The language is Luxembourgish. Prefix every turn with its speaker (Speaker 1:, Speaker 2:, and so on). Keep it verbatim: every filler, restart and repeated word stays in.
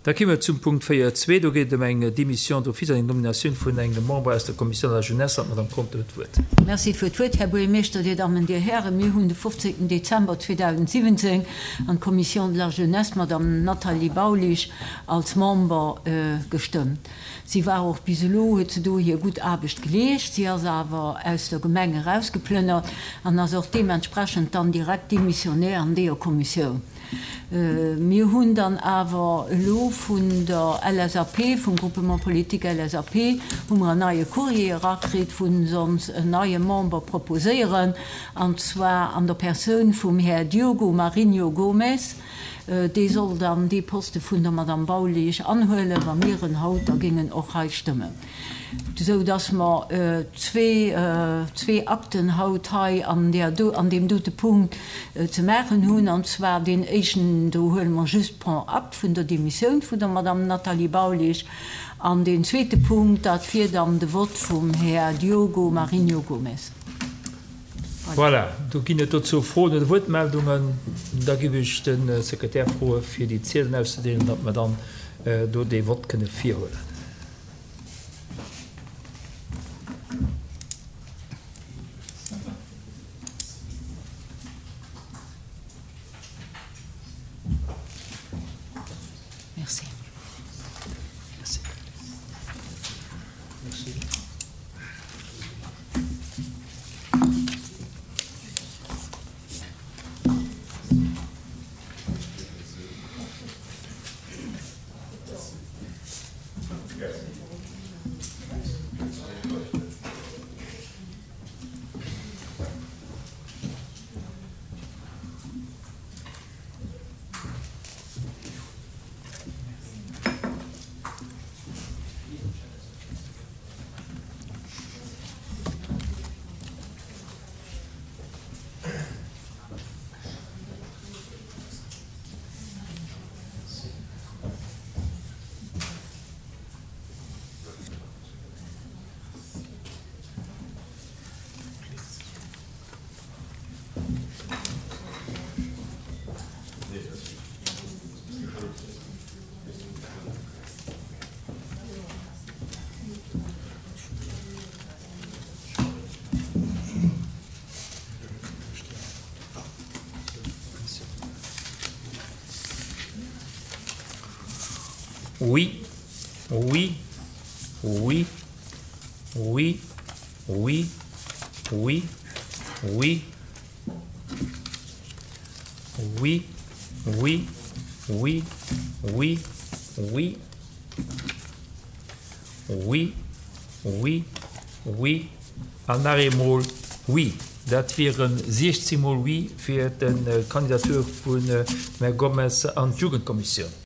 Speaker 1: Da komme mer zum Punkt véier zwee. Do geet et ëm eng Démission d'office an eng Nominatioun vun engem Member aus der Commission de la Jeunesse. An d'Madame Conter huet d'Wuert.
Speaker 2: Merci fir d'Wuert, Här Buergermeeschter, Dir Dammen, Dir Hären. Mir hunn de fofzéngten Dezember zweedausendsiwwenzéng an d'Commission de la Jeunesse d'Madame Nathalie Baulisch als Member gestëmmt. Si war och bis elo, huet se do hir gutt Aarbecht geleescht. Si ass awer aus der Gemeng erausgeplënnert an ass och deementsprechend dann direkt démissionnaire an deeër Kommissioun. Mir hunn dann awer elo vun der L S A P, vum Groupement politique L S A P, hu mer en neie Courrier erakritt, wou se ons en neie Member proposéieren, an zwar an der Persoun vum Här Diogo Marinho Gomes. Dee soll dann dee Poste vun der Madame Baulisch anhuelen, wa mir en haut da géingen och hei stëmmen. Esou dass mer zwee, zwee Akten haut hei an där do, an deem dote Punkt ze maachen hunn. An zwar deen éischten, do huele mer just prend acte vun der Demissioun vun der Madame Nathalie Baulisch. An deen zweete Punkt, dat wier dann de Vott vum Här Diogo Marinho Gomes.
Speaker 1: Voilà, do ginn et dozou Froen oder Wuertmeldungen. Da géif ech de Sekretär froe fir déi Ziedelen auszedeelen, datt mer dann do dee Vott kënne virhuelen.
Speaker 2: Merci.
Speaker 1: Merci. Merci. Oui, oui, oui, oui, oui, oui, oui, oui, oui, oui, oui, oui, oui, oui, oui an nach eemol oui. Dat wieren siechzéng mol Oui fir d'Kandidatur vun dem Här Gomes an d'Jugendkommissioun.